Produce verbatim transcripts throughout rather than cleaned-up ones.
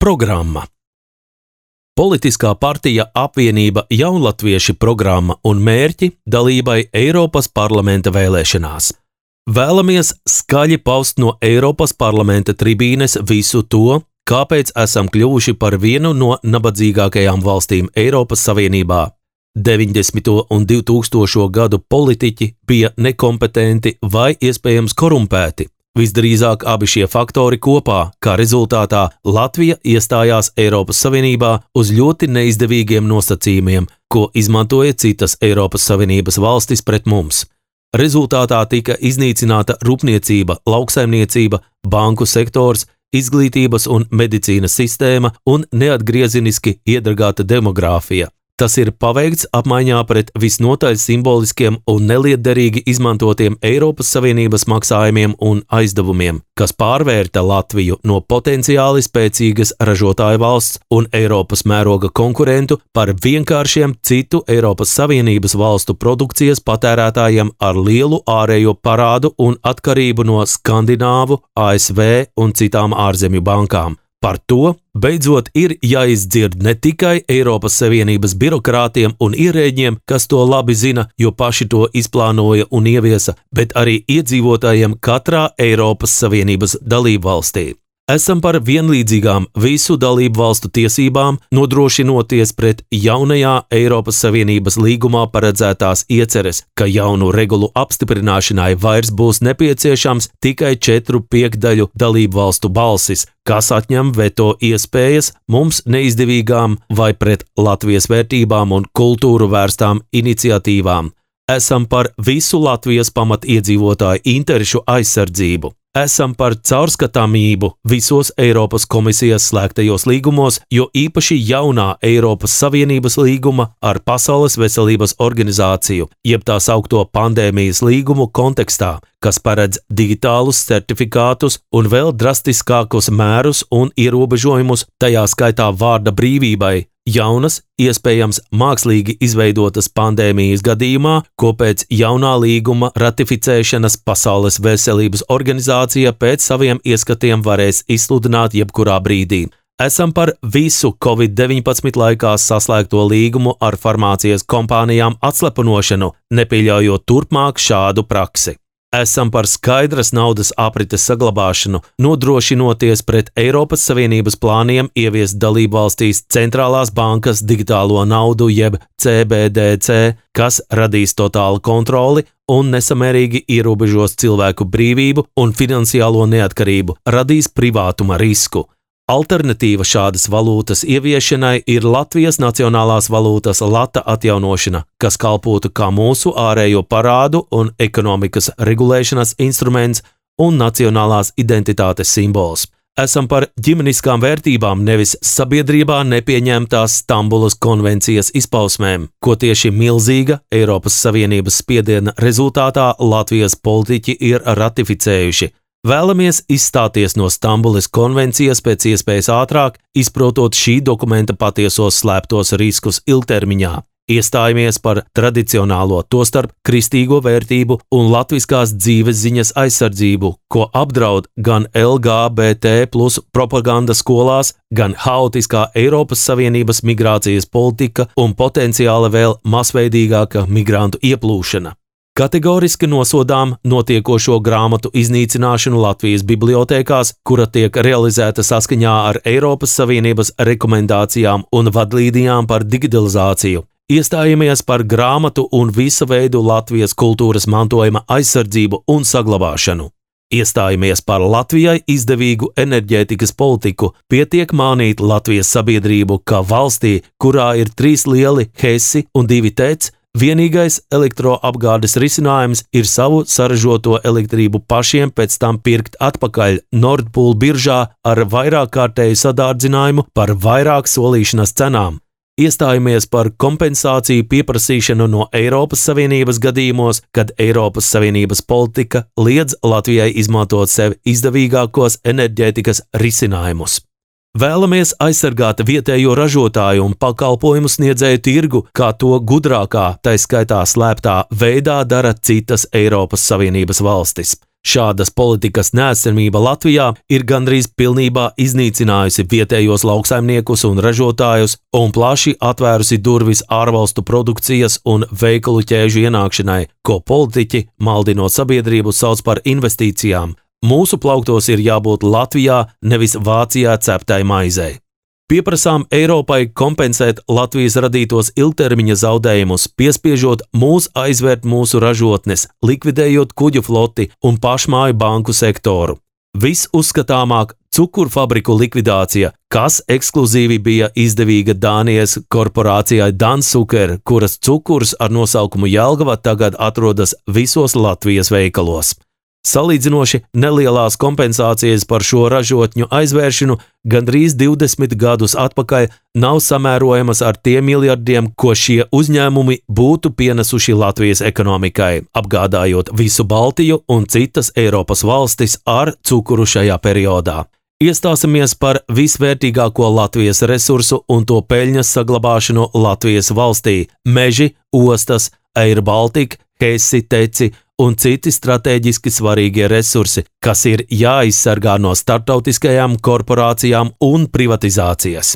Programma. Politiskā partija Apvienība Jaunlatvieši programma un mērķi dalībai Eiropas parlamenta vēlēšanās. Vēlamies skaļi paust no Eiropas parlamenta tribīnes visu to, kāpēc esam kļuvuši par vienu no nabadzīgākajām valstīm Eiropas Savienībā. deviņdesmito un divtūkstošo gadu politiķi bija nekompetenti vai iespējams korumpēti. Visdrīzāk abi šie faktori kopā, kā rezultātā Latvija iestājās Eiropas Savienībā uz ļoti neizdevīgiem nosacījumiem, ko izmantoja citas Eiropas Savienības valstis pret mums. Rezultātā tika iznīcināta rūpniecība, lauksaimniecība, banku sektors, izglītības un medicīnas sistēma un neatgriezeniski iedragāta demogrāfija. Tas ir paveikts apmaiņā pret visnotaļ simboliskiem un nelietderīgi izmantotiem Eiropas Savienības maksājumiem un aizdevumiem, kas pārvērta Latviju no potenciāli spēcīgas ražotāju valsts un Eiropas mēroga konkurentu par vienkāršiem citu Eiropas Savienības valstu produkcijas patērētājiem ar lielu ārējo parādu un atkarību no Skandināvu, A S V un citām ārzemju bankām. Par to beidzot ir jāizdzird ne tikai Eiropas Savienības birokrātiem un ierēģiem, kas to labi zina, jo paši to izplānoja un ieviesa, bet arī iedzīvotājiem katrā Eiropas Savienības dalībvalstī. Esam par vienlīdzīgām visu dalību valstu tiesībām, nodrošinoties pret jaunajā Eiropas Savienības līgumā paredzētās ieceres, ka jaunu regulu apstiprināšanai vairs būs nepieciešams tikai četru piekdaļu dalību valstu balsis, kas atņem veto iespējas mums neizdevīgām vai pret Latvijas vērtībām un kultūru vērstām iniciatīvām. Esam par visu Latvijas pamatiedzīvotāju interešu aizsardzību. Esam par caurskatāmību visos Eiropas komisijas slēgtajos līgumos, jo īpaši jaunā Eiropas Savienības līguma ar Pasaules veselības organizāciju, jeb tā saukto pandēmijas līgumu kontekstā, kas paredz digitālus certifikātus un vēl drastiskākus mērus un ierobežojumus, tajā skaitā vārda brīvībai, jaunas, iespējams mākslīgi izveidotas pandēmijas gadījumā, ko pēc jaunā līguma ratificēšanas Pasaules veselības organizācija pēc saviem ieskatiem varēs izsludināt jebkurā brīdī. Esam par visu covid deviņpadsmit laikā saslēgto līgumu ar farmācijas kompānijām atslepenošanu, nepieļaujot turpmāk šādu praksi. Esam par skaidras naudas aprites saglabāšanu, nodrošinoties pret Eiropas Savienības plāniem ieviest dalībvalstīs centrālās bankas digitālo naudu jeb C B D C, kas radīs totālu kontroli un nesamērīgi ierobežos cilvēku brīvību un finansiālo neatkarību, radīs privātuma risku. Alternatīva šādas valūtas ieviešanai ir Latvijas nacionālās valūtas lata atjaunošana, kas kalpotu kā mūsu ārējo parādu un ekonomikas regulēšanas instruments un nacionālās identitātes simbols. Esam par ģimeniskām vērtībām, nevis sabiedrībā nepieņemtās Stambulas konvencijas izpausmēm, ko tieši milzīga Eiropas Savienības spiediena rezultātā Latvijas politiķi ir ratificējuši. Vēlamies izstāties no Stambulas konvencijas pēc iespējas ātrāk, izprotot šī dokumenta patiesos slēptos riskus ilgtermiņā. Iestājamies par tradicionālo, tostarp kristīgo vērtību un latviskās dzīves ziņas aizsardzību, ko apdraud gan L G B T plus propaganda skolās, gan haotiskā Eiropas Savienības migrācijas politika un potenciāli vēl masveidīgāka migrantu ieplūšana. Kategoriski nosodām notiekošo grāmatu iznīcināšanu Latvijas bibliotēkās, kura tiek realizēta saskaņā ar Eiropas Savienības rekomendācijām un vadlīnijām par digitalizāciju. Iestājamies par grāmatu un visa veidu Latvijas kultūras mantojuma aizsardzību un saglabāšanu. Iestājamies par Latvijai izdevīgu enerģētikas politiku, pietiek mānīt Latvijas sabiedrību, ka valstī, kurā ir trīs lieli hesi un divi tec, vienīgais elektroapgādes risinājums ir savu saražoto elektrību pašiem pēc tam pirkt atpakaļ Nord Pool biržā ar vairāk kārtēju sadārdzinājumu par vairāk solīšanas cenām. Iestājamies par kompensāciju pieprasīšanu no Eiropas Savienības gadījumos, kad Eiropas Savienības politika liedz Latvijai izmantot sev izdevīgākos enerģētikas risinājumus. Vēlamies aizsargāt vietējo ražotāju un pakalpojumu sniedzēju tirgu, kā to gudrākā, tai skaitā slēptā veidā dara citas Eiropas Savienības valstis. Šādas politikas neesamība Latvijā ir gandrīz pilnībā iznīcinājusi vietējos lauksaimniekus un ražotājus un plaši atvērusi durvis ārvalstu produkcijas un veikalu ķēžu ienākšanai, ko politiķi, maldinot sabiedrību, sauc par investīcijām. Mūsu plauktos ir jābūt Latvijā, nevis Vācijā ceptai maizei. Pieprasām Eiropai kompensēt Latvijas radītos ilgtermiņa zaudējumus, piespiežot mūs aizvērt mūsu ražotnes, likvidējot kuģu floti un pašmāju banku sektoru. Visuzskatāmāk cukurfabriku likvidācija, kas ekskluzīvi bija izdevīga Dānijas korporācijai Dansuker, kuras cukurs ar nosaukumu Jelgava tagad atrodas visos Latvijas veikalos. Salīdzinoši nelielās kompensācijas par šo ražotņu aizvēršanu gandrīz divdesmit gadus atpakaļ nav samērojamas ar tiem miljardiem, ko šie uzņēmumi būtu pienesuši Latvijas ekonomikai, apgādājot visu Baltiju un citas Eiropas valstis ar cukuru šajā periodā. Iestāsimies par visvērtīgāko Latvijas resursu un to peļņas saglabāšanu Latvijas valstī – meži, ostas, Air Baltica, Hesi, Teci un citi stratēģiski svarīgie resursi, kas ir jāizsargā no starptautiskajām korporācijām un privatizācijas.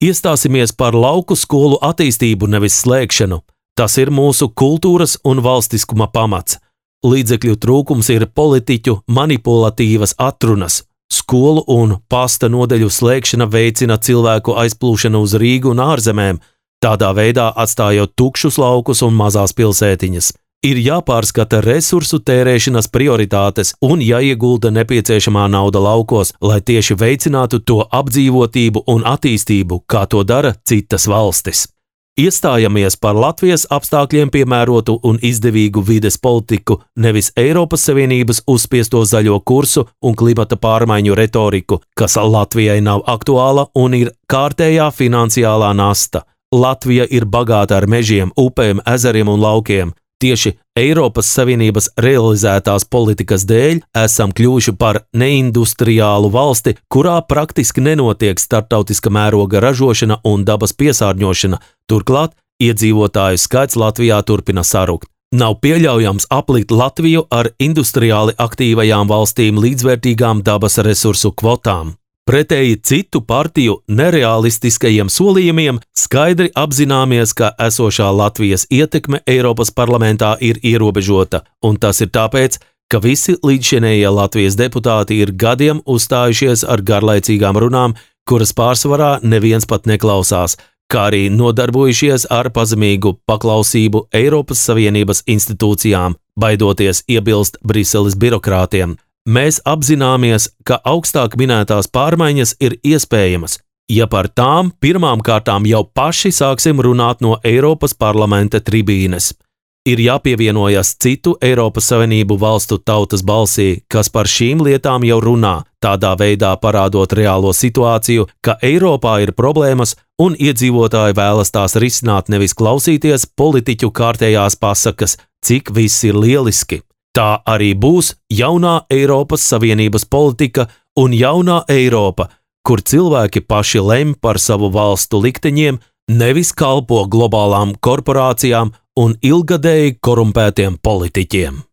Iestāsimies par lauku skolu attīstību, nevis slēgšanu. Tas ir mūsu kultūras un valstiskuma pamats. Līdzekļu trūkums ir politiķu manipulatīvas atrunas. Skolu un pasta nodeļu slēgšana veicina cilvēku aizplūšanu uz Rīgu un ārzemēm, tādā veidā atstājot tukšus laukus un mazās pilsētiņas. Ir jāpārskata resursu tērēšanas prioritātes un jāiegulda nepieciešamā nauda laukos, lai tieši veicinātu to apdzīvotību un attīstību, kā to dara citas valstis. Iestājamies par Latvijas apstākļiem piemērotu un izdevīgu vides politiku, nevis Eiropas Savienības uzspiesto zaļo kursu un klimata pārmaiņu retoriku, kas Latvijai nav aktuāla un ir kārtējā finansiālā nasta. Latvija ir bagāta ar mežiem, upēm, ezeriem un laukiem. Tieši Eiropas Savienības realizētās politikas dēļ esam kļuvuši par neindustriālu valsti, kurā praktiski nenotiek starptautiska mēroga ražošana un dabas piesārņošana, turklāt iedzīvotāju skaits Latvijā turpina sarukt. Nav pieļaujams aplikt Latviju ar industriāli aktīvajām valstīm līdzvērtīgām dabas resursu kvotām. Pretēji citu partiju nerealistiskajiem solījumiem, skaidri apzināmies, ka esošā Latvijas ietekme Eiropas parlamentā ir ierobežota, un tas ir tāpēc, ka visi līdzšinējie Latvijas deputāti ir gadiem uzstājušies ar garlaicīgām runām, kuras pārsvarā neviens pat neklausās, kā arī nodarbojušies ar pazemīgu paklausību Eiropas Savienības institūcijām, baidoties iebilst Briseles birokrātiem. Mēs apzināmies, ka augstāk minētās pārmaiņas ir iespējamas, ja par tām pirmām kārtām jau paši sāksim runāt no Eiropas parlamenta tribīnes. Ir jāpievienojas citu Eiropas Savienību valstu tautas balsī, kas par šīm lietām jau runā, tādā veidā parādot reālo situāciju, ka Eiropā ir problēmas un iedzīvotāji vēlas tās risināt, nevis klausīties politiķu kārtējās pasakas, cik viss ir lieliski. Tā arī būs jaunā Eiropas Savienības politika un jaunā Eiropa, kur cilvēki paši lemj par savu valstu likteņiem, nevis kalpo globālām korporācijām un ilgadēji korumpētiem politiķiem.